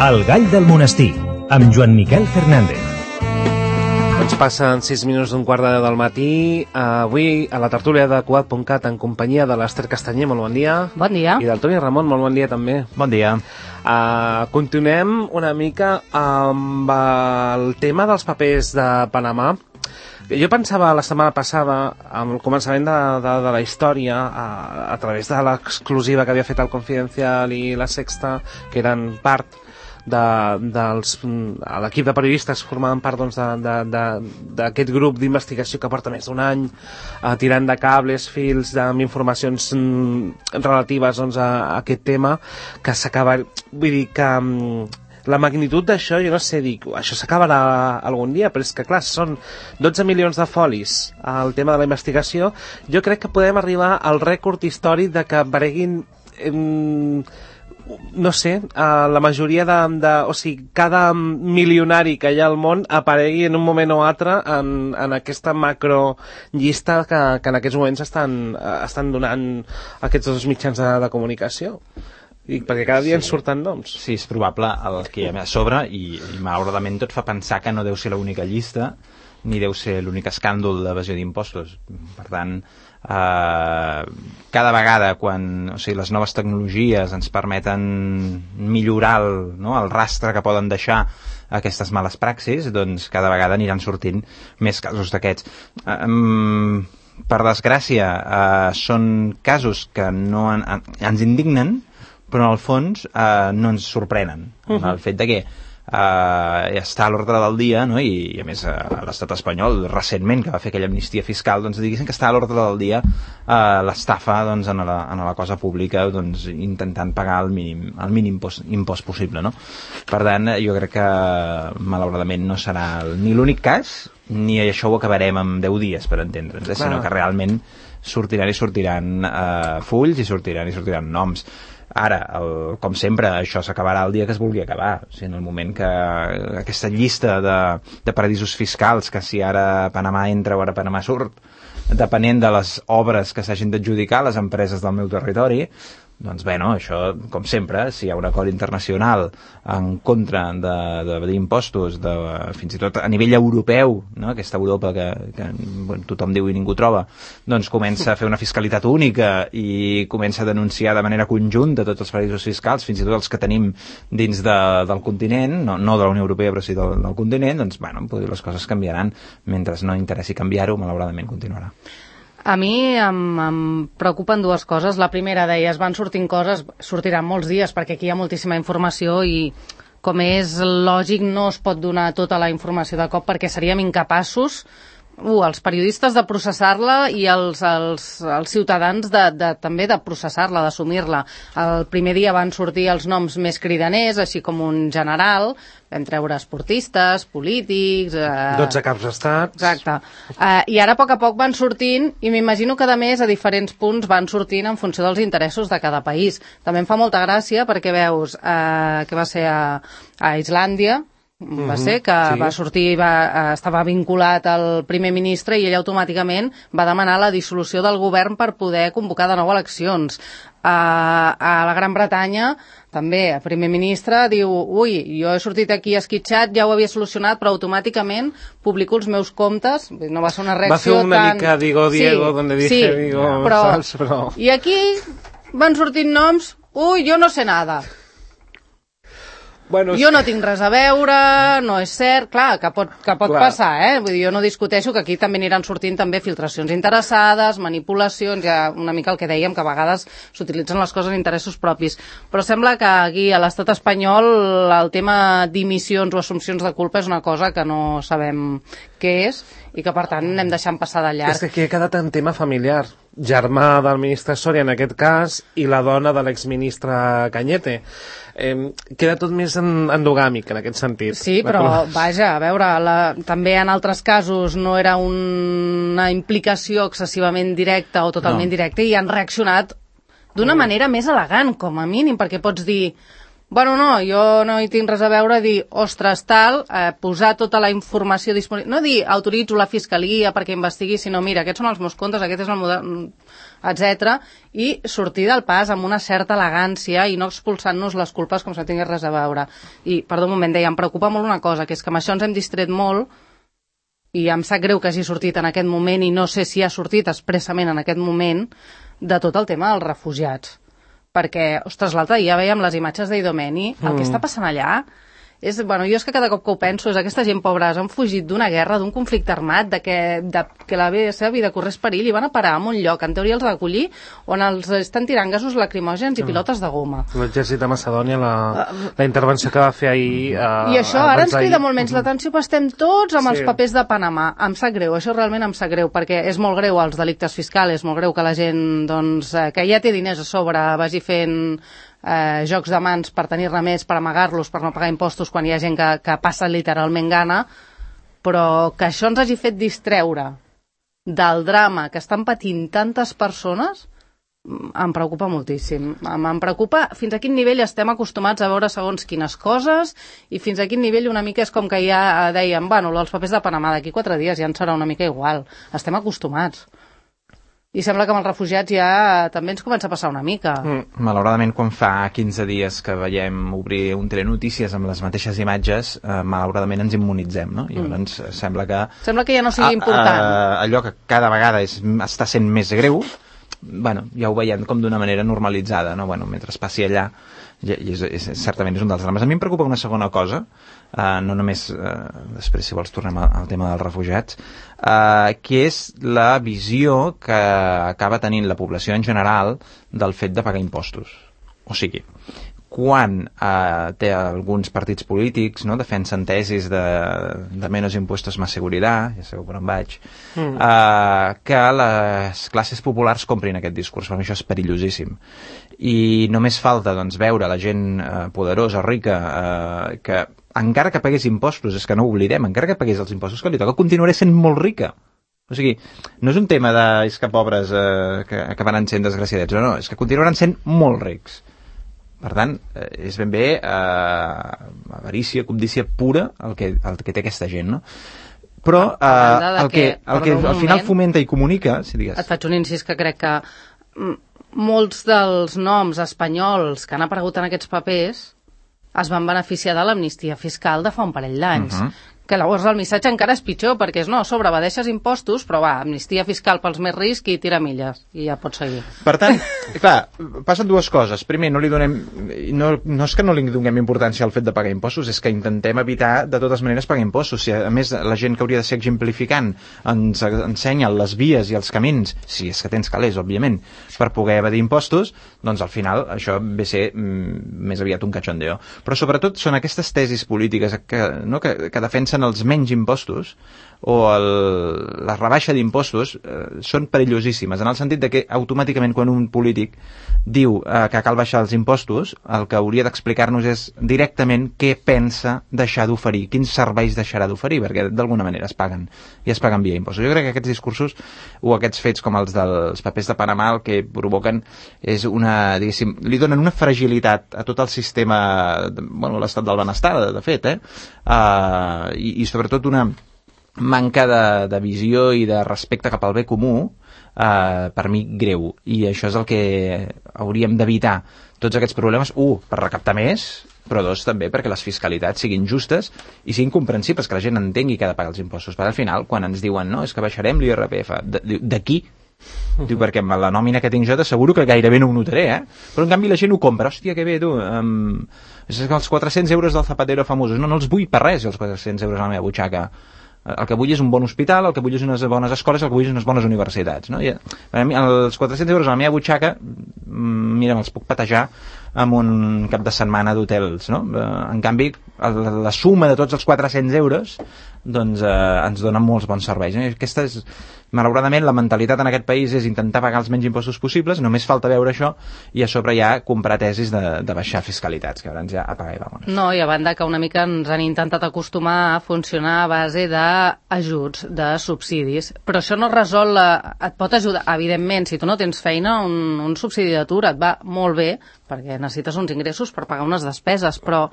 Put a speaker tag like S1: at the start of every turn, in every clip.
S1: El gall del monestir, amb Joan Miquel Fernández.
S2: Ens passen 6 minuts d'un quart de 10 del matí. Avui a la tertúlia de Cugat.cat en companyia de l'Ester Castanyer, molt bon dia.
S3: Bon dia.
S2: I del Toni Ramon, molt bon dia també.
S4: Bon dia.
S2: Continuem una mica amb el tema dels papers de Panamà. Jo pensava la setmana passada, amb el començament de la història, a través de l'exclusiva que havia fet el Confidencial i la Sexta, que eren part l'equip de periodistes formaven part d'aquest grup d'investigació que porta més d'un any tirant de cables, fils amb informacions relatives a aquest tema, que s'acaba, vull dir que la magnitud d'això, jo no sé, dic, això s'acabarà algun dia, però és que clar, són 12 milions de folis al tema de la investigació. Jo crec que podem arribar al rècord històric de que apareguin no sé, la majoria o sigui, cada milionari que hi ha al món aparegui en un moment o altre en aquesta macro llista que en aquests moments estan donant aquests dos mitjans de comunicació. Perquè cada dia ens surten noms.
S4: Sí, és probable el que hi ha a sobre i malauradament tot fa pensar que no deu ser l'única llista ni deu ser l'únic escàndol d'evasió d'impostos. Per tant, cada vegada quan les noves tecnologies ens permeten millorar el rastre que poden deixar aquestes males praxis, doncs cada vegada aniran sortint més casos d'aquests. Per desgràcia, són casos que no ens indignen, però en el fons no ens sorprenen. El fet de que està a l'ordre del dia, no? I a més a l'estat espanyol recentment, que va fer aquella amnistia fiscal, doncs diguéssim que està a l'ordre del dia l'estafa en la cosa pública, doncs intentant pagar el mínim impost possible, no? Per tant, jo crec que malauradament no serà ni l'únic cas ni això ho acabarem en 10 dies, per entendre'ns, sinó que realment sortiran fulls i sortiran noms. Ara, com sempre, això s'acabarà el dia que es vulgui acabar. O sigui, en el moment que aquesta llista de paradisos fiscals, que si ara Panamà entra o ara Panamà surt, depenent de les obres que s'hagin d'adjudicar les empreses del meu territori, doncs bé, això, com sempre, si hi ha un acord internacional en contra d'impostos, fins i tot a nivell europeu, no? Aquesta Europa que tothom diu i ningú troba, doncs comença a fer una fiscalitat única i comença a denunciar de manera conjunta tots els paradisos fiscals, fins i tot els que tenim dins del continent, no de la Unió Europea, però sí del continent, doncs, les coses canviaran. Mentre no interessi canviar-ho, malauradament continuarà.
S3: A mi em preocupen dues coses. La primera, deies, van sortint coses, sortiran molts dies, perquè aquí hi ha moltíssima informació i, com és lògic, no es pot donar tota la informació de cop perquè seríem incapaços, els periodistes de processar-la i els ciutadans també de processar-la, d'assumir-la. El primer dia van sortir els noms més cridaners, així com un general, vam treure esportistes, polítics...
S2: 12 caps d'estat...
S3: Exacte. I ara, a poc van sortint, i m'imagino que, a més, a diferents punts van sortint en funció dels interessos de cada país. També em fa molta gràcia perquè veus que va ser a Islàndia, va ser que sí. Va sortir, estava vinculat al primer ministre i ell automàticament va demanar la dissolució del govern per poder convocar de nou eleccions. A la Gran Bretanya també el primer ministre diu jo he sortit aquí esquitxat, ja ho havia solucionat, però automàticament publico els meus comptes. No va ser una reacció
S2: tan... Va fer una mica Diego, donde dije Diego,
S3: però... I aquí van sortint noms, jo no sé nada.
S2: Bueno,
S3: jo no tinc res a veure, no és cert, clar, que pot passar, Vull dir, jo no discuteixo que aquí també aniran sortint també filtracions interessades, manipulacions, ja una mica el que dèiem, que a vegades s'utilitzen les coses en interessos propis. Però sembla que aquí a l'estat espanyol el tema dimissions o assumpcions de culpa és una cosa que no sabem què és i que per tant anem deixant passar de llarg.
S2: És que aquí ha quedat un tema familiar. Germà del ministre Soria en aquest cas i la dona de l'exministre Cañete. Queda tot més endogàmic en aquest sentit.
S3: Sí, però vaja, a veure, també en altres casos no era una implicació excessivament directa o totalment directa i han reaccionat d'una manera més elegant, com a mínim, perquè pots dir Bueno, no, jo no hi tinc res a veure a dir, ostres, tal, posar tota la informació disponible, no dir autoritzo la fiscalia perquè investigui, sinó mira, aquests són els meus comptes, aquest és el model, etc. I sortir del pas amb una certa elegància i no expulsant-nos les culpes com si no tingués res a veure. I, perdó un moment, deia, em preocupa molt una cosa, que és que amb això ens hem distret molt i em sap greu que hagi sortit en aquest moment i no sé si ha sortit expressament en aquest moment de tot el tema dels refugiats. Perquè, ostres, l'altre dia veiem les imatges d'Idomeni, el que està passant allà és, bueno, jo és que cada cop que ho penso és aquesta gent pobres han fugit d'una guerra, d'un conflicte armat, de que la seva vida corrés perill i van a parar en un lloc, en teoria els recollir, on els estan tirant gasos lacrimògens i pilotes de goma.
S2: L'exèrcit de Macedònia, la intervenció que va fer ahir...
S3: I això ara ens crida molt menys l'atenció, però estem tots amb els papers de Panamà. Em sap greu, això realment em sap greu, perquè és molt greu els delictes fiscals, és molt greu que la gent, doncs, que ja té diners a sobre, vagi fent jocs de mans per tenir-ne més, per amagar-los, per no pagar impostos quan hi ha gent que passa literalment gana, però que això ens hagi fet distreure del drama que estan patint tantes persones em preocupa moltíssim. Em preocupa fins a quin nivell estem acostumats a veure segons quines coses i fins a quin nivell una mica és com que ja dèiem, bueno, els papers de Panamà d'aquí 4 dies ja ens serà una mica igual. Estem acostumats. I sembla que amb els refugiats ja també ens comença a passar una mica.
S4: Malauradament, quan fa 15 dies que veiem obrir un telenotícies amb les mateixes imatges, malauradament ens immunitzem, no? I llavors sembla que
S3: ja no sigui important.
S4: Allò que cada vegada està sent més greu, bueno, ja ho veiem com d'una manera normalitzada, no? Bueno, mentre passi allà, certament és un dels drames. A mi em preocupa una segona cosa, no només, després si vols tornem al tema dels refugiats, que és la visió que acaba tenint la població en general del fet de pagar impostos. O sigui, quan té alguns partits polítics, no, defensen tesis de menos impuestos más seguridad, ja sabeu per on vaig, que les classes populars comprin aquest discurs. Per mi això és perillosíssim. I només falta, doncs, veure la gent poderosa, rica, que encara que pagués impostos, és que no ho oblidem, encara que pagués els impostos que li toca, continuaré sent molt rica. O sigui, no és un tema de és que pobres que acabaran sent desgraciadets, no, és que continuaran sent molt rics. Per tant, és ben bé avarícia, cobdícia pura el que té aquesta gent, no? Però el que al final fomenta i comunica... Si digues.
S3: Et faig un incís que crec que molts dels noms espanyols que han aparegut en aquests papers es van beneficiar de l'amnistia fiscal de fa un parell d'anys. Que llavors el missatge encara és pitjor, perquè és, no, a sobre evadeixes impostos, però va, amnistia fiscal pels més rics i tira milles, i ja pots seguir.
S4: Per tant, clar, passen dues coses. Primer, no és que no li donem importància al fet de pagar impostos, és que intentem evitar de totes maneres pagar impostos. Si, a més, la gent que hauria de ser exemplificant ens ensenya les vies i els camins, si és que tens calés, òbviament, per poder evadir impostos, doncs al final això ve a ser més aviat un cachondeo. Però sobretot són aquestes tesis polítiques que defensen els menys impostos o la rebaixa d'impostos són perillosíssimes, en el sentit de que automàticament quan un polític diu que cal baixar els impostos, el que hauria d'explicar-nos és directament què pensa deixar d'oferir, quins serveis deixarà d'oferir, perquè d'alguna manera es paguen, i es paguen via impostos. Jo crec que aquests discursos o aquests fets com els dels papers de Panamà el que provoquen és una, diguéssim, li donen una fragilitat a tot el sistema, bueno, l'estat del benestar, de fet, i sobretot una manca de visió i de respecte cap al bé comú, per mi greu, i això és el que hauríem d'evitar, tots aquests problemes, per recaptar més, però dos, també perquè les fiscalitats siguin justes i siguin comprensibles, que la gent entengui que ha de pagar els impostos, perquè al final, quan ens diuen no, és que baixarem l'IRPF, de qui? Diu, perquè amb la nòmina que tinc jo t'asseguro que gairebé no ho notaré, però en canvi la gent ho compra, hòstia, que bé, tu, és que els 400 euros del Zapatero famosos, no els vull per res, els 400 euros a la meva butxaca. El que vull és un bon hospital, el que vull és unes bones escoles, el que vull és unes bones universitats, no? I, els 400 euros a la meva butxaca, mira, me'ls puc patejar amb un cap de setmana d'hotels, no? En canvi, la suma de tots els 400 euros doncs ens dona molts bons serveis. Aquesta és, malauradament, la mentalitat en aquest país és intentar pagar els menys impostos possibles, només falta veure això, i a sobre ja comprar tesis de baixar fiscalitats, que ara ens ja apaga i vamonos.
S3: No, i a banda que una mica ens han intentat acostumar a funcionar a base d'ajuts, de subsidis, però això no resol, et pot ajudar, evidentment, si tu no tens feina, un subsidi d'atur et va molt bé, perquè necessites uns ingressos per pagar unes despeses, però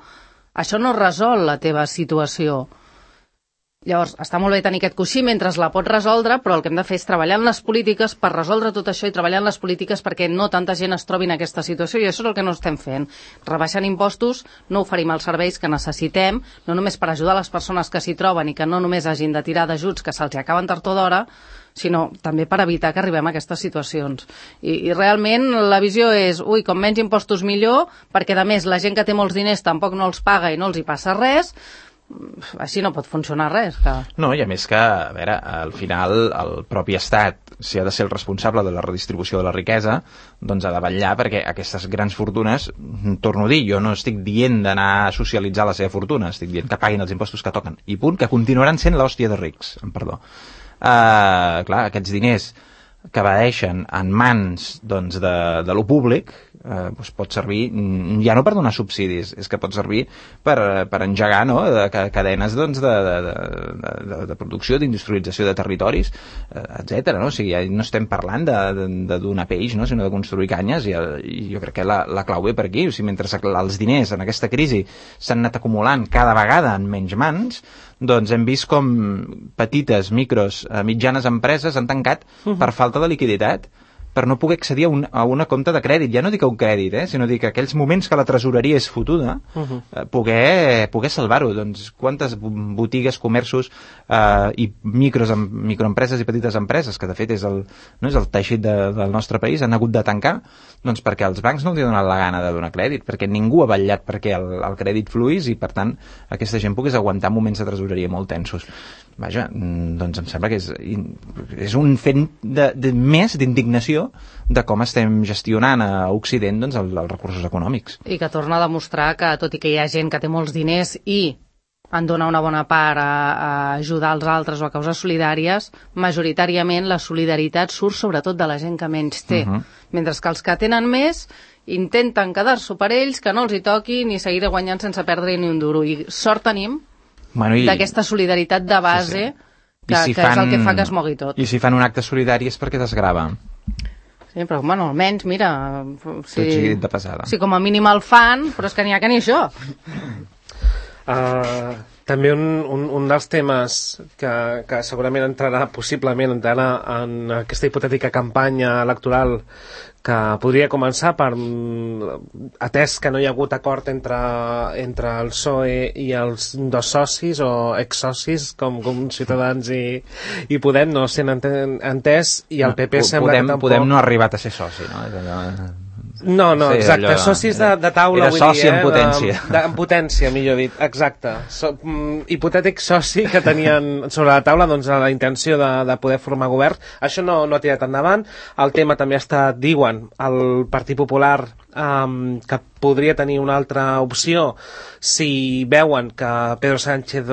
S3: això no resol la teva situació. Llavors, està molt bé tenir aquest coixí mentre la pots resoldre, però el que hem de fer és treballar en les polítiques per resoldre tot això i treballar en les polítiques perquè no tanta gent es trobi en aquesta situació, i això és el que no estem fent. Rebaixant impostos no oferim els serveis que necessitem, no només per ajudar les persones que s'hi troben i que no només hagin de tirar d'ajuts que se'ls acaben tard o d'hora, sinó també per evitar que arribem a aquestes situacions. I realment la visió és, com menys impostos millor, perquè a més la gent que té molts diners tampoc no els paga i no els hi passa res. Així no pot funcionar res.
S4: No, i a més que, a veure, al final el propi Estat, si ha de ser el responsable de la redistribució de la riquesa, doncs ha de vetllar perquè aquestes grans fortunes, torno a dir, jo no estic dient d'anar a socialitzar la seva fortuna, estic dient que paguin els impostos que toquen, i punt, que continuaran sent l'hòstia de rics, perdó. Clar, aquests diners que evadeixen en mans doncs, de lo públic, doncs pot servir ja no per donar subsidis, és que pot servir per engegar, no, cadenes doncs, de producció, d'industrialització de territoris, etc. No? O sigui, ja no estem parlant de donar peix, no? Sinó de construir canyes, i jo crec que la clau ve per aquí. O sigui, mentre els diners en aquesta crisi s'han anat acumulant cada vegada en menys mans, doncs hem vist com petites, micros, mitjanes empreses han tancat per falta de liquiditat, per no poder accedir a una compte de crèdit. Ja no dic a un crèdit, sinó dic que aquells moments que la tresoreria és fotuda, poder salvar-ho. Doncs quantes botigues, comerços i microempreses i petites empreses, que de fet és el teixit del nostre país, han hagut de tancar, doncs perquè els bancs no els ha donat la gana de donar crèdit, perquè ningú ha vetllat perquè el crèdit fluís i, per tant, aquesta gent pogués aguantar moments de tresoreria molt tensos. Vaja, doncs em sembla que és un fet més d'indignació de com estem gestionant a Occident doncs, els recursos econòmics.
S3: I que torna a demostrar que, tot i que hi ha gent que té molts diners i en dona una bona part a ajudar els altres o a causes solidàries, majoritàriament la solidaritat surt sobretot de la gent que menys té. Mentre que els que tenen més intenten quedar-s'ho per ells, que no els hi toqui ni seguir guanyant sense perdre ni un duro. I sort tenim d'aquesta solidaritat de base que és el que fa que es mogui tot.
S4: I si fan un acte solidari és perquè desgrava.
S3: Sí, però almenys, mira,
S4: si
S3: com a mínim el fan, però és que n'hi ha que ni això.
S2: També un dels temes que segurament possiblement entrarà en aquesta hipotètica campanya electoral que podria començar atès que no hi ha hagut acord entre el PSOE i els dos socis o exsocis com Ciutadans i Podem no sent entès, i el PP sembla que tampoc...
S4: Podem no ha arribat a ser soci, no?
S2: No, exacte, socis de taula,
S4: era soci en potència.
S2: En potència, millor dit, exacte. Hipotètic soci que tenien sobre la taula la intenció de poder formar govern. Això no ha tirat endavant. El tema també diuen, el Partit Popular que podria tenir una altra opció si veuen que Pedro Sánchez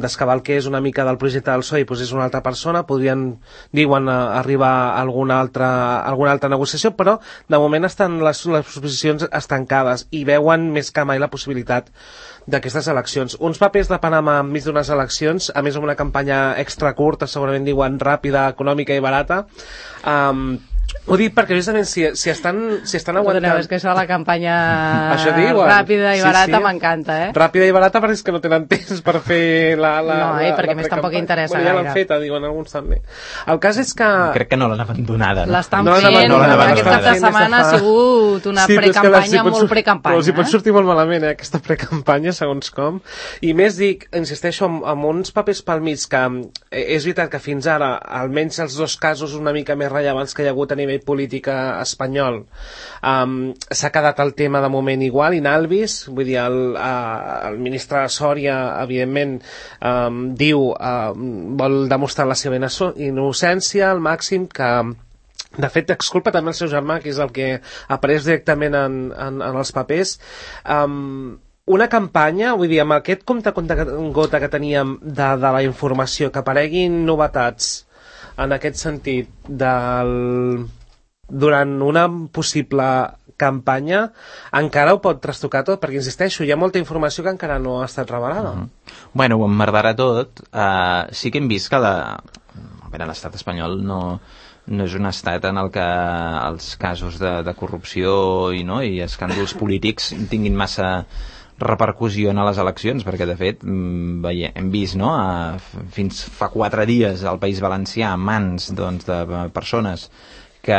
S2: descavalqués una mica del projecte del PSOE i posés una altra persona, diuen arribar a alguna altra negociació, però de moment estan les posicions estancades i veuen més que mai la possibilitat d'aquestes eleccions. Uns papers de Panamà enmig d'unes eleccions, a més amb una campanya extra curta, segurament diuen ràpida, econòmica i barata. Ho dic perquè justament si estan aguantant...
S3: És que això de la campanya ràpida i barata m'encanta,
S2: Ràpida i barata perquè és que no tenen temps per fer
S3: perquè més tampoc interessa gaire.
S2: Ja l'han feta, diuen alguns també. El cas és que...
S4: Crec que no l'han abandonada.
S3: L'estan fent, aquest cap de setmana ha sigut una precampanya, molt precampanya.
S2: Però si pot sortir molt malament, aquesta precampanya, segons com. I més dic, insisteixo, amb uns papers pel mig que és veritat que fins ara, almenys els dos casos una mica més rellevants que hi ha hagut a nivell polític espanyol, s'ha quedat el tema de moment igual, inalvis, vull dir, el ministre Sòria, evidentment, vol demostrar la seva innocència al màxim, que de fet exculpa també el seu germà, que és el que apareix directament en els papers. Una campanya, vull dir, amb aquest compte-gota que teníem de la informació, que apareguin novetats en aquest sentit durant una possible campanya, encara ho pot trastocar tot, perquè insisteixo, hi ha molta informació que encara no ha estat revelada.
S4: Bueno, ho emmerdarà tot. Sí que hem vist que l'estat espanyol no no és un estat en el que els casos de corrupció i escàndols polítics tinguin massa repercussió en les eleccions, perquè de fet hem vist fins fa 4 dies al País Valencià en mans de persones que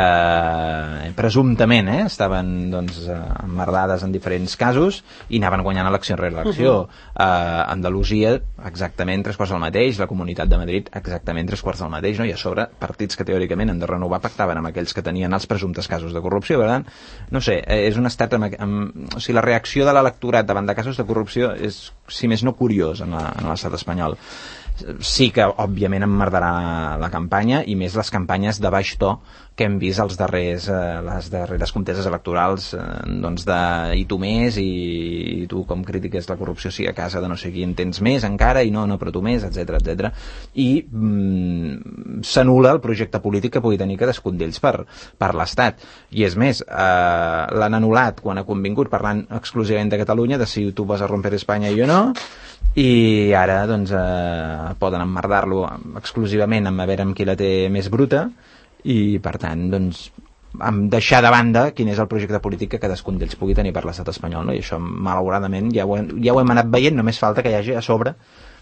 S4: presumptament estaven emmerdades en diferents casos i anaven guanyant elecció rere elecció. Andalusia exactament 3/4 del mateix, la Comunitat de Madrid exactament 3/4 del mateix, i a sobre partits que teòricament han de renovar pactaven amb aquells que tenien els presumptes casos de corrupció. Per tant, no sé, és un estat o sigui, la reacció de l'electorat davant de casos de corrupció és, si més no, curiós en l'estat espanyol. Sí que, òbviament, emmerdarà la campanya, i més les campanyes de baix to que hem vist les darreres conteses electorals i tu més, i tu com critiques la corrupció si a casa de no sé qui en tens més encara, i no, però tu més, etc. I s'anul·la el projecte polític que pugui tenir cadascun d'ells per l'Estat. I és més, l'han anul·lat quan ha convingut, parlant exclusivament de Catalunya, de si tu vas a romper Espanya i jo no, i ara poden emmerdar-lo exclusivament amb a veure amb qui la té més bruta, i per tant deixar de banda quin és el projecte polític que cadascun d'ells pugui tenir per l'estat espanyol, i això malauradament ja ho hem anat veient. Només falta que hi hagi a sobre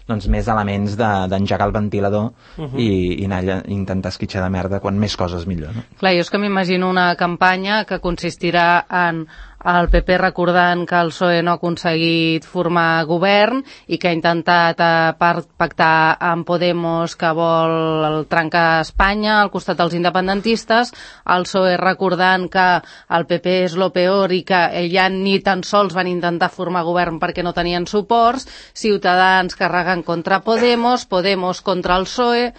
S4: més elements d'engegar el ventilador i anar intentar esquitxar de merda quan més coses millor, no?
S3: Clar, jo és que m'imagino una campanya que consistirà en el PP recordant que el PSOE no ha aconseguit formar govern i que ha intentat pactar amb Podemos, que vol trencar Espanya al costat dels independentistes, el PSOE recordant que el PP és lo peor i que ja ni tan sols van intentar formar govern perquè no tenien suports, Ciutadans carregant contra Podemos contra el PSOE,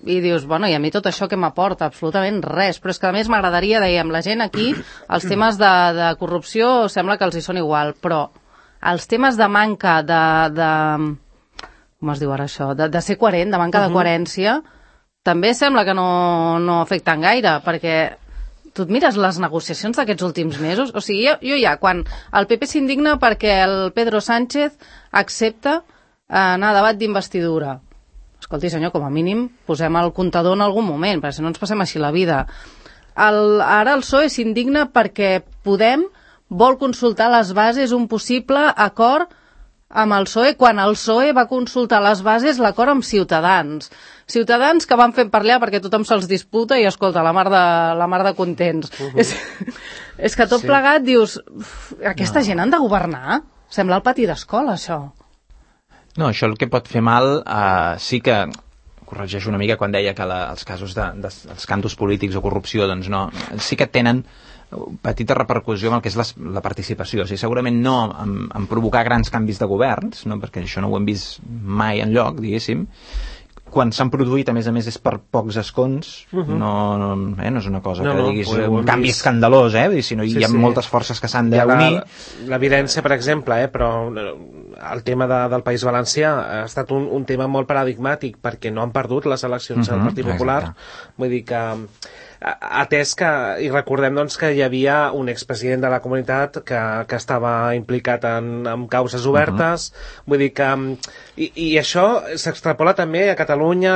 S3: i dius, bueno, i a mi tot això que m'aporta? Absolutament res, però és que a més m'agradaria, dèiem, la gent aquí, els temes de corrupció sembla que els hi són igual, però els temes de manca com es diu ara això? De ser coherent, de manca de coherència, també sembla que no afecten gaire, perquè tu et mires les negociacions d'aquests últims mesos, o sigui, jo ja, quan el PP s'indigna perquè el Pedro Sánchez accepta anar a debat d'investidura. Escolti, senyor, com a mínim posem el comptador en algun moment, perquè si no ens passem així la vida. Ara el PSOE s'indigna perquè Podem vol consultar les bases un possible acord amb el PSOE, quan el PSOE va consultar les bases l'acord amb Ciutadans. Ciutadans que van fent per allà perquè tothom se'ls disputa i, escolta, la mar de contents. És que tot plegat dius, aquesta gent han de governar? Sembla el pati d'escola, això.
S4: No, això el que pot fer mal, sí que corregeixo una mica quan deia que els casos d'escàndols polítics o corrupció, doncs no, sí que tenen petita repercussió amb el que és la participació. O sigui, segurament no en provocar grans canvis de governs, no? Perquè això no ho hem vist mai enlloc, diguéssim. Quan s'han produït, a més és per pocs escons, no és una cosa que diguis un canvi escandalós, sinó hi ha moltes forces que s'han d'unir.
S2: L'evidència, per exemple, però el tema del País Valencià ha estat un tema molt paradigmàtic perquè no han perdut les eleccions del Partit Popular. Vull dir que atès que, i recordem doncs, que hi havia un expresident de la comunitat que estava implicat en causes obertes, vull dir que i això s'extrapola també a Catalunya,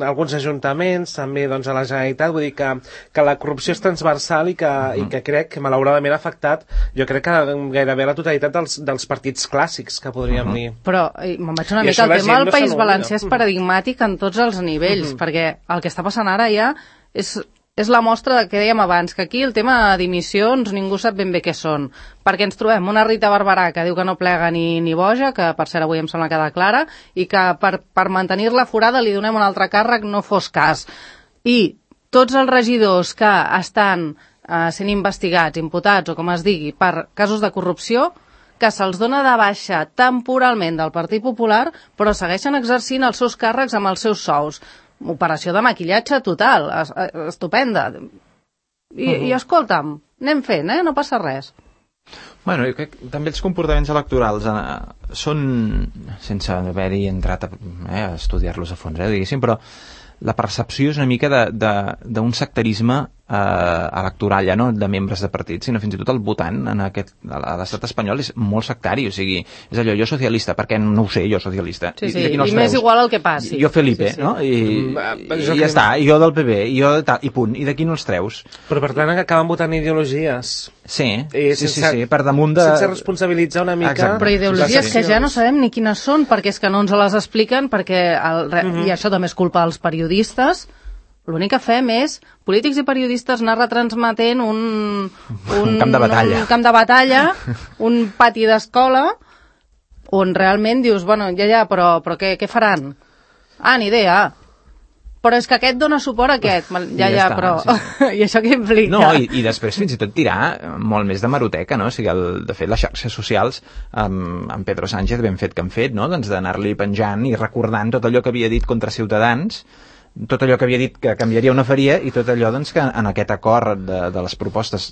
S2: alguns ajuntaments, també doncs, a la Generalitat, vull dir que la corrupció és transversal i que crec que malauradament ha afectat, jo crec que gairebé la totalitat dels partits clàssics que podríem dir.
S3: Però me'n vaig una mica, el tema del País Valencià és paradigmàtic en tots els nivells, perquè el que està passant ara ja és la mostra del que dèiem abans, que aquí el tema de dimissions ningú sap ben bé què són, perquè ens trobem una Rita Barberà que diu que no plega ni boja, que per cert avui em sembla quedar clara, i que per mantenir-la forada li donem un altre càrrec, no fos cas. I tots els regidors que estan sent investigats, imputats o com es digui, per casos de corrupció, que se'ls dona de baixa temporalment del Partit Popular, però segueixen exercint els seus càrrecs amb els seus sous. Operació de maquillatge total, estupenda. I escolta'm, anem fent, no passa res.
S4: Bueno, jo crec que també els comportaments electorals són, sense haver-hi entrat a estudiar-los a fons, diguéssim, però la percepció és una mica d'un sectarisme electoral ja no de membres de partits, sinó fins i tot el votant a l'estat espanyol és molt sectari, o sigui, és allò, jo socialista, perquè no ho sé, jo socialista.
S3: Sí, i m'és igual el que passi.
S4: Jo Felipe, no? I ja està, i jo del PP, i jo de tal, i punt, i d'aquí no els treus.
S2: Però per tant acaben votant ideologies.
S4: Sí, per damunt de...
S2: Sense responsabilitzar una mica...
S3: Exacte. Però ideologies que ja no sabem ni quines són, perquè és que no ens les expliquen, perquè i això també és culpa dels periodistes. L'únic que fem és polítics i periodistes anar retransmetent un
S4: camp de batalla.
S3: Un camp de batalla, un pati d'escola, on realment dius, bueno, ja, però què faran? Ah, ni idea. Però és que aquest dona suport a aquest. Ja, però... Sí. I això què implica?
S4: No, i després fins i tot tirar molt més de maroteca, no? O sigui, de fet, les xarxes socials, amb Pedro Sánchez ben fet que han fet, no? Doncs d'anar-li penjant i recordant tot allò que havia dit contra Ciutadans, tot allò que havia dit que canviaria o no faria, i tot allò doncs, que en aquest acord de les propostes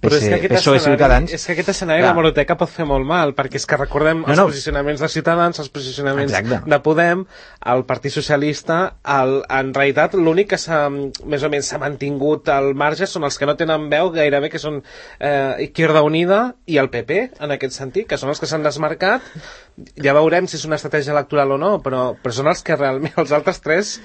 S4: PSOE Ciutadans...
S2: És que aquest escenari de l'hemeroteca pot fer molt mal, perquè és que recordem els posicionaments de Ciutadans, els posicionaments de Podem, el Partit Socialista, en realitat l'únic que més o menys s'ha mantingut al marge són els que no tenen veu gairebé, que són Izquierda Unida i el PP, en aquest sentit, que són els que s'han desmarcat. Ja veurem si és una estratègia electoral o no, però són els que realment, els altres tres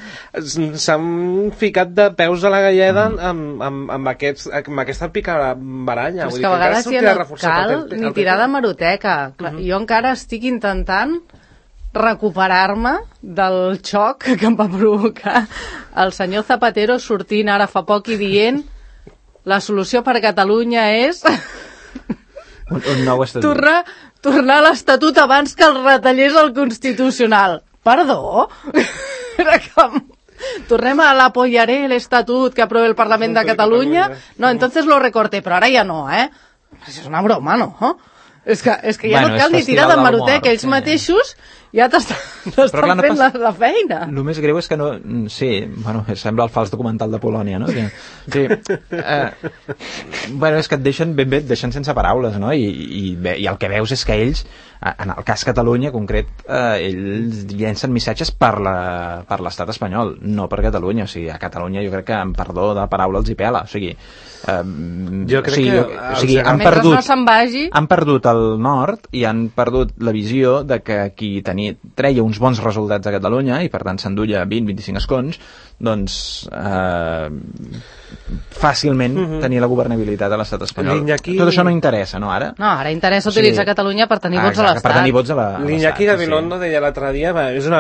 S2: s'han ficat de peus a la galleda amb aquesta picabaralla.
S3: Però és que a vegades ja no cal ni tirar de maroteca. Jo encara estic intentant recuperar-me del xoc que em va provocar el senyor Zapatero sortint ara fa poc i dient la solució per a Catalunya és
S4: un nou estatut.
S3: Tornar a l'Estatut abans que el retallés el Constitucional. Perdó? Era com... Tornem a l'apoyaré l'Estatut que aprove el Parlament de Catalunya. No, entonces lo recorté, però ara ja no, És una broma, no? És que ja no cal ni tirar de maroteca, ells mateixos ja t'estan fent la feina.
S4: El més greu és que no... Sí, bueno, sembla el fals documental de Polònia, no? Sí. Bueno, és que et deixen ben bé, et deixen sense paraules, no? I el que veus és que ells, en el cas Catalunya concret, ells llencen missatges per l'estat espanyol, no per Catalunya. O sigui, a Catalunya jo crec que en perdó de paraula els hi pela. O sigui,
S2: jo crec que
S4: han perdut el nord i han perdut la visió de que qui treia uns bons resultats a Catalunya i per tant s'endulla 20-25 escons, doncs fàcilment tenir la governabilitat a l'estat espanyol. Tot això no interessa, no, ara?
S3: No, ara interessa utilitzar Catalunya per tenir vots a l'estat.
S4: Per tenir vots a l'estat.
S2: L'Iñaki Gabilondo deia l'altre dia,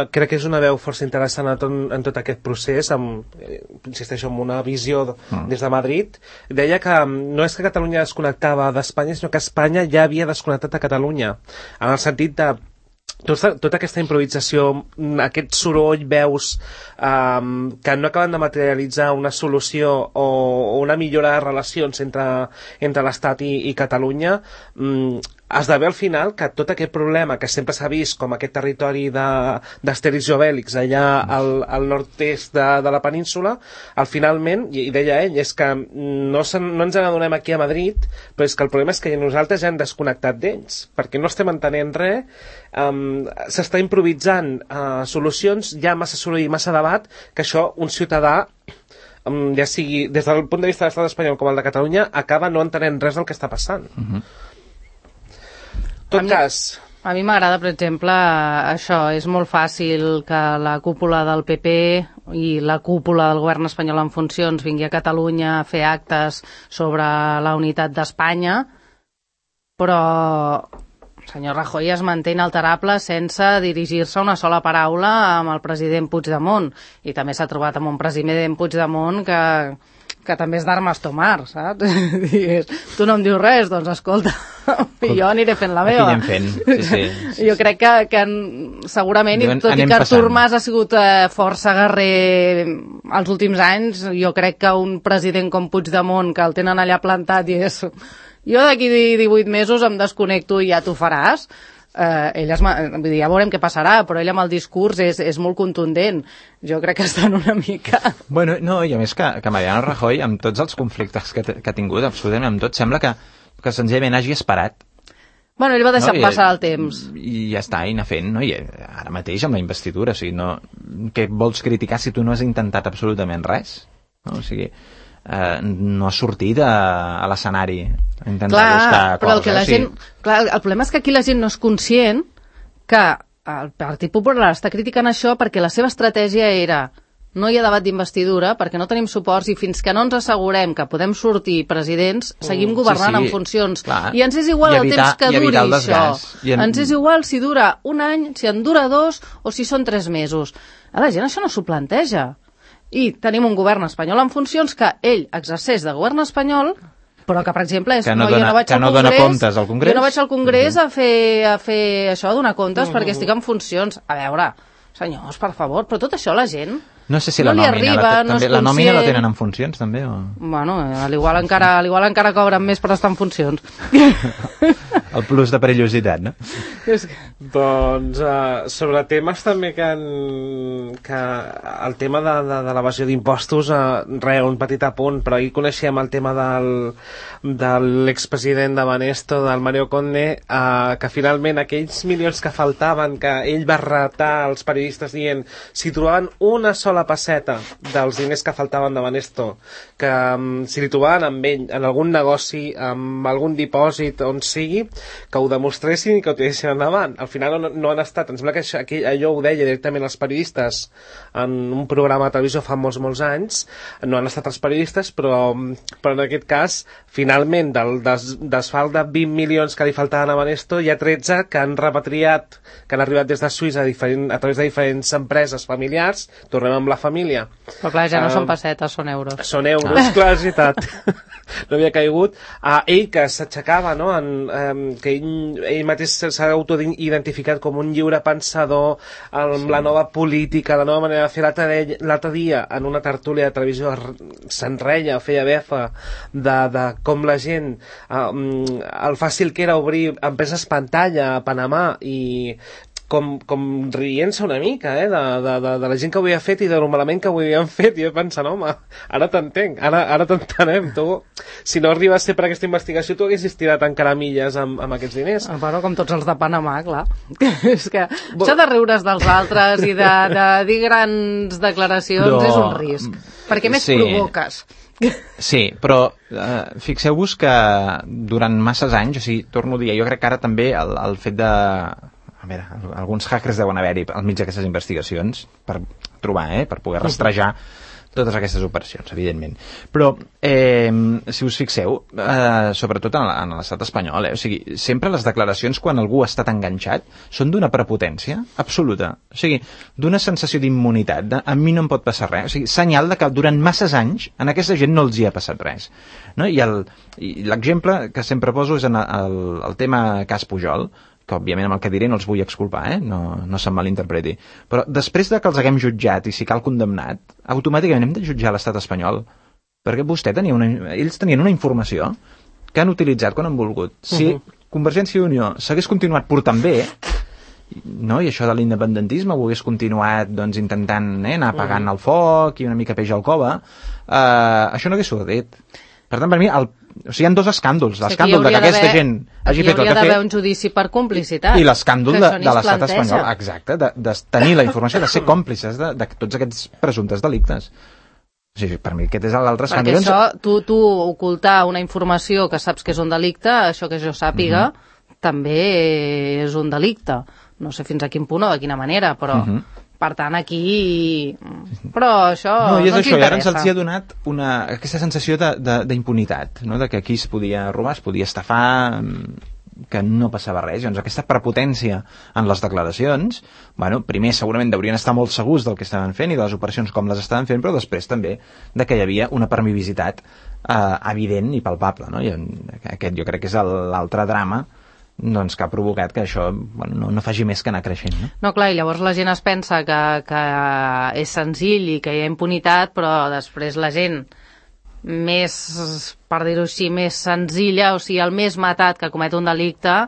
S2: crec que és una veu força interessant en tot aquest procés, insisteixo, amb una visió des de Madrid. Deia que no és que Catalunya desconnectava d'Espanya, sinó que Espanya ja havia desconnectat a Catalunya, en el sentit de tota aquesta improvisació, aquest soroll, veus que no acaben de materialitzar una solució o una millora de relacions entre l'Estat i Catalunya, esdevé al final que tot aquest problema que sempre s'ha vist com aquest territori d'Astèrix i Obèlix allà al nord-est de la península, al finalment, i deia ell, és que no ens n'adonem aquí a Madrid, però és que el problema és que nosaltres ja hem desconnectat d'ells, perquè no estem entenent res, s'està improvisant solucions, hi ha massa soroll i massa debat, que això un ciutadà, ja sigui des del punt de vista de l'estat espanyol com el de Catalunya, acaba no entenent res del que està passant. Tot cas...
S3: A mi m'agrada, per exemple, això. És molt fàcil que la cúpula del PP i la cúpula del govern espanyol en funcions vingui a Catalunya a fer actes sobre la unitat d'Espanya, però el senyor Rajoy es manté inalterable sense dirigir-se una sola paraula amb el president Puigdemont. I també s'ha trobat amb un president Puigdemont que també és d'armes tomar, saps? Tu no em dius res, doncs escolta, jo aniré fent la meva.
S4: Aquí anem fent, sí.
S3: Jo crec que segurament, tot i que Artur Mas ha sigut força guerrer els últims anys, jo crec que un president com Puigdemont, que el tenen allà plantat i és... Jo d'aquí 18 mesos em desconnecto i ja t'ho faràs. Vull dir, ja veurem què passarà, però ell amb el discurs és molt contundent. Jo crec que estan una mica...
S4: Bueno, no, i a més que Mariano Rajoy, amb tots els conflictes que ha tingut, absolutament amb tot, sembla que senzillament hagi esperat.
S3: Bueno, ell va deixar passar el temps.
S4: I ja està, i anar fent, no? I ara mateix amb la investidura, o sigui, no... Què vols criticar si tu no has intentat absolutament res? No? O sigui... no ha sortit a l'escenari a intentar buscar
S3: però
S4: coses.
S3: El problema és que aquí la gent no és conscient que el Partit Popular està criticant això perquè la seva estratègia era no hi ha debat d'investidura perquè no tenim suports i fins que no ens assegurem que podem sortir presidents, seguim governant en funcions.
S4: Clar.
S3: I ens és igual el temps que duri això. Ens és igual si dura un any, si en dura 2 o si són 3 mesos. A la gent això no s'ho planteja. I tenim un govern espanyol en funcions que ell exerceix de govern espanyol, però que, per exemple,
S4: jo no dona comptes al Congrés.
S3: Jo no vaig al Congrés a fer això, a donar comptes, perquè estic en funcions. A veure, senyors, per favor, però tot això la gent...
S4: No sé si la nòmina la tenen en funcions, també? O...
S3: Bueno, al igual encara cobren més per estar en funcions.
S4: El plus de perillositat, no?
S2: Doncs sobre temes també que el tema de l'evasió d'impostos, un petit apunt, però ahir coneixem el tema de l'expresident de Banesto, del Mario Conde, que finalment aquells milions que faltaven, que ell va retar als periodistes dient si trobaven una sola passeta dels diners que faltaven de Banesto, que si li trobaven amb ell en algun negoci, amb algun dipòsit, on sigui, que ho demostressin i que ho tiressin endavant. Al final no han estat, em sembla que allò ho deia directament els periodistes en un programa de televisió fa molts anys, no han estat els periodistes, però en aquest cas, finalment, del desfalt de 20 milions que li faltaven a Banesto, hi ha 13 que han repatriat, que han arribat des de Suïssa a través de diferents empreses familiars. Tornem amb la família.
S3: Però clar, ja no són pessetes, són euros.
S2: Són euros, clar, és veritat. No havia caigut. Ell que s'aixecava, no? Que ell mateix s'ha autoidentificat com un lliure pensador amb la nova política, la nova manera de fer. L'altre dia, en una tertúlia de televisió, se'n reia, feia befa de com la gent, el fàcil que era obrir empreses pantalla a Panamà i com rient-se una mica de la gent que ho havia fet i de lo malament que ho havien fet, i jo pensant, home, ara t'entenc, ara t'entenem, tu, si no arribes a ser per aquesta investigació, tu haguessis tirat encara milles amb aquests diners.
S3: Bueno, com tots els de Panamà, clar. És que això de riure's dels altres i de dir grans declaracions és un risc, perquè més provoques.
S4: Sí, però fixeu-vos que durant masses anys, o sigui, torno a dir, jo crec que ara també el fet de... A veure, alguns hackers deuen haver-hi al mig d'aquestes investigacions per trobar, per poder rastrejar totes aquestes operacions, evidentment. Però, si us fixeu, sobretot en l'estat espanyol, o sigui, sempre les declaracions quan algú ha estat enganxat són d'una prepotència absoluta. O sigui, d'una sensació d'immunitat, a mi no em pot passar res. O sigui, senyal de que durant masses anys a aquesta gent no els hi ha passat res. No? I l'exemple que sempre poso és en el tema cas Pujol, que òbviament amb el que diré no els vull exculpar, no se'm malinterpreti. Però després de que els haguem jutjat i si cal condemnat, automàticament hem de jutjar l'estat espanyol. Perquè ells tenien una informació que han utilitzat quan han volgut. Si Convergència i Unió s'hagués continuat portant bé, no? I això de l'independentisme ho hagués continuat intentant anar apagant el foc i una mica peix al cova, això no hagués succeït. Per tant, per mi, hi ha dos escàndols. L'escàndol de que aquesta gent hagi fet el que ha fet...
S3: Hi hauria d'haver un judici per complicitat.
S4: I l'escàndol de l'estat espanyol, exacte, de tenir la informació, de ser còmplices de tots aquests presumptes delictes. O sigui, per mi aquest és l'altre escàndol.
S3: Perquè això, tu ocultar una informació que saps que és un delicte, això que jo sàpiga, també és un delicte. No sé fins a quin punt o de quina manera, però... Per tant, aquí... Però això
S4: no
S3: ens
S4: això,
S3: interessa.
S4: I ara ens ha donat aquesta sensació d'impunitat, no? De que aquí es podia robar, es podia estafar, que no passava res. Doncs aquesta prepotència en les declaracions, primer segurament deurien estar molt segurs del que estaven fent i de les operacions com les estaven fent, però després també de que hi havia una permissivitat evident i palpable. No? I aquest jo crec que és l'altre drama que ha provocat que això no faci més que anar creixent.
S3: No, clar, i llavors la gent es pensa que és senzill i que hi ha impunitat, però després la gent més, per dir-ho així, més senzilla, o sigui, el més matat que comet un delicte,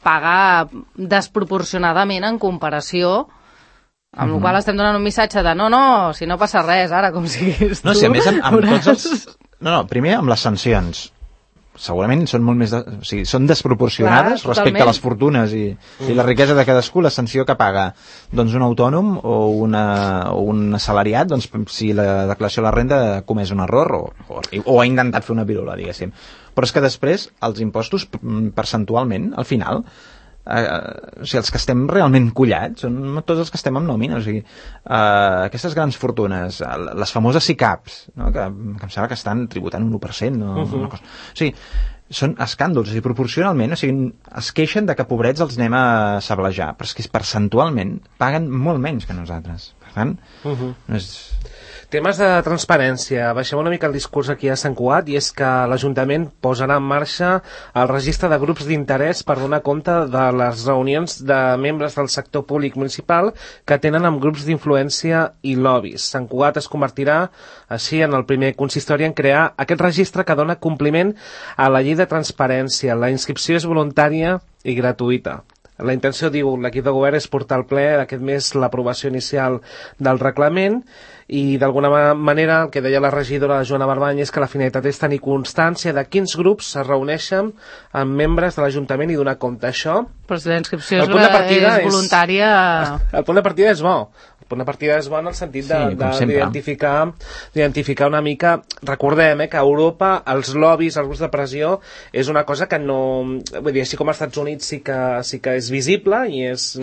S3: paga desproporcionadament en comparació, amb la qual estem donant un missatge de no, si no passa res, ara, com siguis tu.
S4: No, si a més amb tots els... No, primer amb les sancions. segurament són molt més... O sigui, són desproporcionades respecte a les fortunes i la riquesa de cadascú, la sanció que paga doncs, un autònom o un assalariat, doncs, si la declaració de la renda ha comès un error o ha intentat fer una pirula, diguéssim. Però és que després, els impostos, percentualment, al final... o sigui, els que estem realment collats són tots els que estem amb nòmina, o sigui, aquestes grans fortunes, les famoses SICAPs, no? que em sembla que estan tributant un 1%, una cosa. O sigui, són escàndols, i proporcionalment, o sigui, es queixen de que pobrets els anem a sablejar, però és que percentualment paguen molt menys que nosaltres. Per tant, no és...
S2: Temes de transparència. Baixem una mica el discurs aquí a Sant Cugat, i és que l'Ajuntament posarà en marxa el registre de grups d'interès per donar compte de les reunions de membres del sector públic municipal que tenen amb grups d'influència i lobbies. Sant Cugat es convertirà així en el primer consistori en crear aquest registre que dona compliment a la llei de transparència. La inscripció és voluntària i gratuïta. La intenció, diu l'equip de govern, és portar al ple d'aquest mes l'aprovació inicial del reglament, i d'alguna manera el que deia la regidora Joana Barbany és que la finalitat és tenir constància de quins grups es reuneixen amb membres de l'Ajuntament i donar compte això.
S3: Però si la inscripció és voluntària...
S2: El punt de partida és bo. El punt de partida és bo en el sentit d'identificar una mica... Recordem que a Europa els lobbies, els grups de pressió, és una cosa que no... Vull dir, així com als Estats Units sí que és visible i és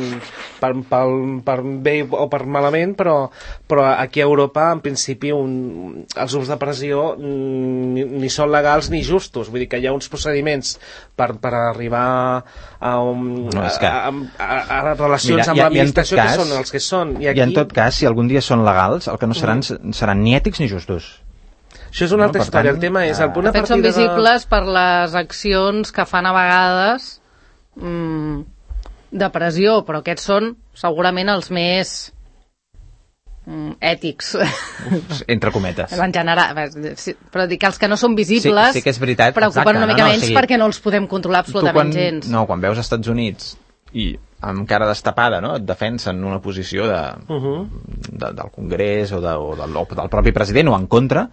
S2: per bé o per malament, però aquí a Europa, en principi, els grups de pressió ni són legals ni justos. Vull dir que hi ha uns procediments per arribar a relacions amb l'administració que són els que són.
S4: I en tot cas, si algun dia són legals, el que no seran ni ètics ni justos.
S2: Això és una altra història. El tema és...
S3: De fet, són visibles per les accions que fan a vegades de pressió, però aquests són segurament els més... ètics,
S4: entre cometes,
S3: en general, però dic que els que no són visibles
S4: sí que és veritat,
S3: preocupen una mica menys perquè no els podem controlar absolutament gens.
S4: Quan veus als Estats Units i amb cara destapada, no? Et defensen una posició del Congrés o del propi president o en contra,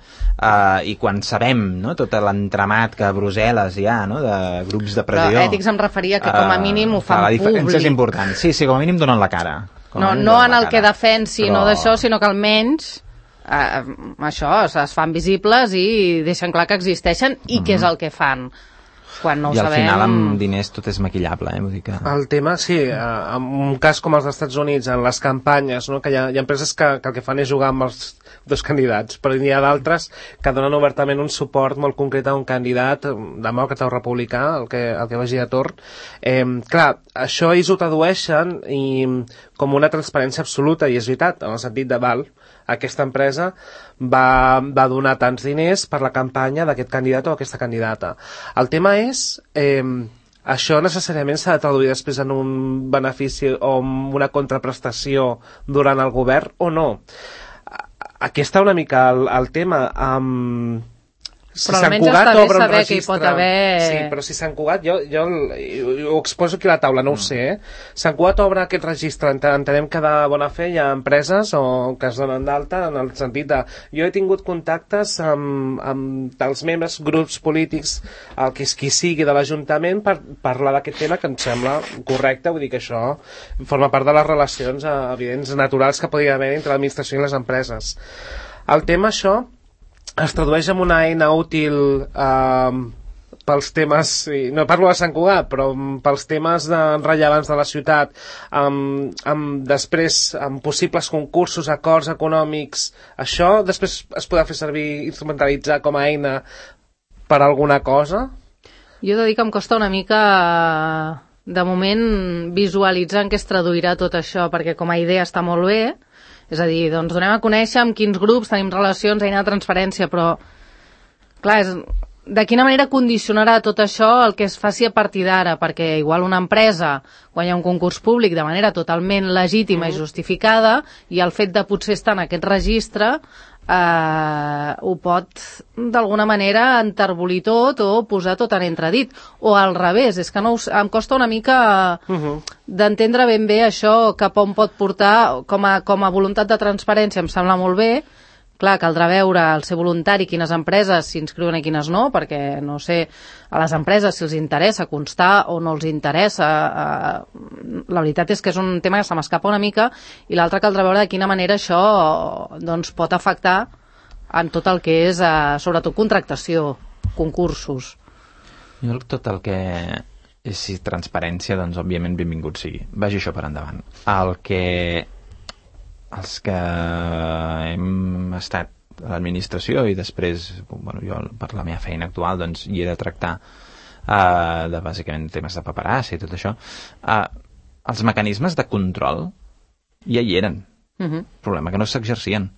S4: i quan sabem, no? Tot l'entramat que a Brussel·les hi ha, no? De grups de pressió,
S3: però ètics em referia que com a mínim ho fan públic. La diferència
S4: és important, sí, com a mínim donen la cara.
S3: No en el que defensi, no d'això, sinó que almenys això, es fan visibles i deixen clar que existeixen i què és el que fan. Quan no ho sabem...
S4: I al final amb diners tot és maquillable, vull dir que...
S2: El tema, sí, en un cas com els dels Estats Units, en les campanyes, no? Que hi ha empreses que el que fan és jugar amb els dos candidats, però n'hi ha d'altres que donen obertament un suport molt concret a un candidat demòcrata o republicà, el que vagi de torn. Clar, això ells ho tradueixen com una transparència absoluta, i és veritat, en el sentit de aquesta empresa va donar tants diners per la campanya d'aquest candidat o aquesta candidata. El tema és... això necessàriament s'ha de traduir després en un benefici o una contraprestació durant el govern o no. Aquí està una mica el tema. Si
S3: però almenys està bé saber que hi pot haver...
S2: Sí, però si Sant Cugat, jo ho exposo aquí a la taula, no ho sé, Sant Cugat obre aquest registre, entenem que de bona fe hi ha empreses que es donen d'alta en el sentit de... Jo he tingut contactes amb els membres, grups polítics, qui sigui de l'Ajuntament, per parlar d'aquest tema que em sembla correcte, vull dir que això forma part de les relacions evidents, naturals que podria haver entre l'administració i les empreses. El tema, això, es tradueix en una eina útil pels temes, no parlo de Sant Cugat, però pels temes rellevants de la ciutat, després amb possibles concursos, acords econòmics. Això després es podrà fer servir, instrumentalitzar com a eina per alguna cosa?
S3: Jo he de dir que em costa una mica de moment visualitzar en què es traduirà tot això, perquè com a idea està molt bé. És a dir, doncs donem a conèixer amb quins grups tenim relacions, eina de transparència, però, clar, de quina manera condicionarà tot això el que es faci a partir d'ara? Perquè igual una empresa, quan hi ha un concurs públic de manera totalment legítima i justificada, i el fet de potser estar en aquest registre ho pot d'alguna manera enterbolir tot o posar tot en entredit, o al revés. És que no em costa una mica d'entendre ben bé això cap on pot portar com a voluntat de transparència. Em sembla molt bé, Clar, caldrà veure el ser voluntari, quines empreses s'inscriuen i quines no, perquè, no sé, a les empreses si els interessa constar o no els interessa. La veritat és que és un tema que se m'escapa una mica, i l'altre caldrà veure de quina manera això doncs, pot afectar en tot el que és, sobretot, contractació, concursos.
S4: Jo tot el que és transparència, doncs, òbviament, benvingut sigui. Vagi això per endavant. Els que hem estat a l'administració i després, bueno, jo per la meva feina actual doncs hi he de tractar de bàsicament temes de paperassa i tot això, els mecanismes de control ja hi eren. El problema que no s'exercien.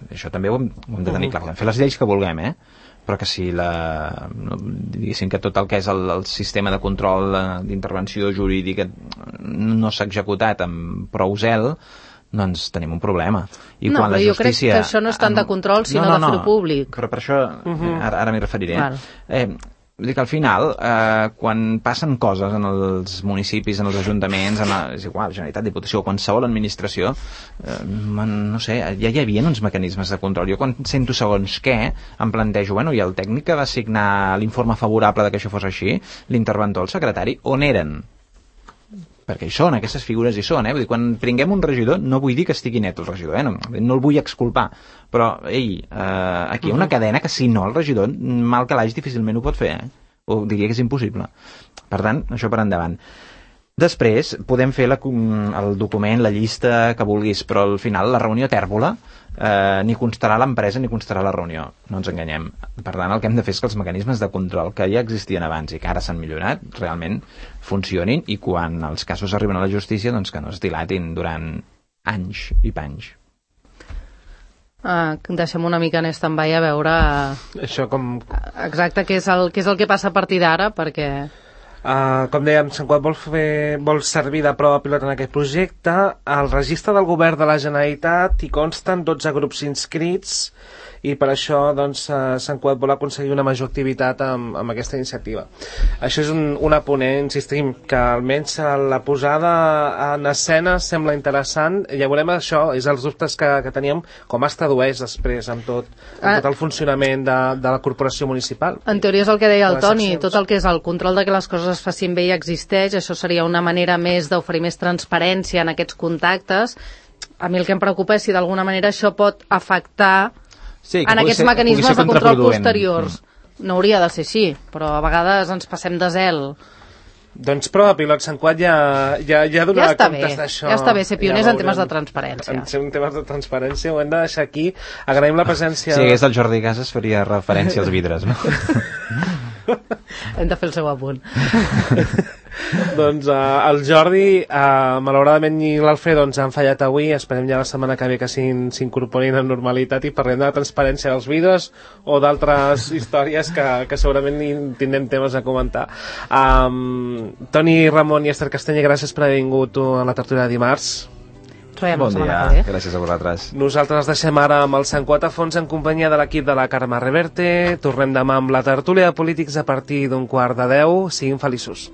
S4: Això també ho hem de tenir clar. Podem fer les lleis que vulguem, però que si diguéssim que tot el que és el sistema de control d'intervenció jurídica no s'ha executat amb prou zel, doncs tenim un problema. I
S3: no,
S4: quan
S3: però
S4: la
S3: jo crec
S4: justícia...
S3: que això no és tant de control, sinó de fer-ho públic.
S4: Però per això, ara m'hi referiré. Vull dir que al final, quan passen coses en els municipis, en els ajuntaments, és igual, Generalitat, Diputació, qualsevol administració, no sé, ja hi havia uns mecanismes de control. Jo quan sento segons què, em plantejo, bueno, i el tècnic que va signar l'informe favorable de que això fos així, l'interventor, el secretari, on eren? Perquè hi són, aquestes figures hi són, vull dir, quan prenguem un regidor, no vull dir que estigui net el regidor, no el vull exculpar, però, aquí hi ha una cadena que si no el regidor, mal que l'haig, difícilment ho pot fer, o diria que és impossible. Per tant, això per endavant. Després, podem fer el document, la llista que vulguis, però al final la reunió tèrbola ni constarà l'empresa ni constarà la reunió, no ens enganyem. Per tant, el que hem de fer és que els mecanismes de control que ja existien abans i que ara s'han millorat realment funcionin, i quan els casos arriben a la justícia doncs que no es dilatin durant anys i panys.
S3: Deixem una mica en stand-by a veure
S2: això com...
S3: exacte què és el que passa a partir d'ara, perquè...
S2: com dèiem, Sant Cugat vol servir de prova pilot en aquest projecte. Al registre del govern de la Generalitat hi consten 12 grups inscrits, i per això doncs, Sant Cugat vol aconseguir una major activitat amb aquesta iniciativa. Això és un aponent, insistim, que almenys la posada en escena sembla interessant. Ja veurem això, és els dubtes que teníem, com es tradueix després amb tot el funcionament de la corporació municipal.
S3: En teoria és el que deia el Toni, tot el que és el control de que les coses es facin bé i existeix, això seria una manera més d'oferir més transparència en aquests contactes. A mi el que em preocupa és si d'alguna manera això pot afectar en aquests mecanismes de control posteriors. No hauria de ser així, però a vegades ens passem de zel.
S2: Doncs prova pilot, Sant Cugat ja donarà comptes d'això.
S3: Ja està bé ser pioners en temes de transparència.
S2: En temes de transparència ho hem de deixar aquí. Agraïm la presència...
S4: Si hagués el Jordi Casas faria referència als vidres, no?
S3: Hem de fer el seu apunt.
S2: Doncs el Jordi, malauradament, i l'Alfredo ens han fallat avui. Esperem ja la setmana que ve que s'incorporin en normalitat i parlem de la transparència dels vidres o d'altres històries que segurament tindrem temes a comentar. Toni Ramon i Esther Castanya, gràcies per haver vingut a la tertúlia de dimarts.
S4: Bon dia, gràcies a vosaltres.
S2: Nosaltres els deixem ara amb el Sant Cugat a fons en companyia de l'equip de la Carme Reverte. Tornem demà amb la tertúlia de polítics a partir d'un 11:15. Siguin feliços.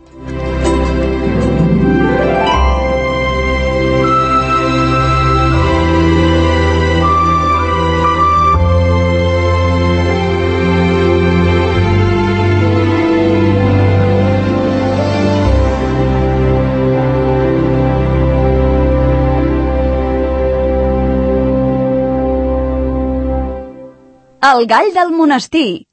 S5: El gall del monestir.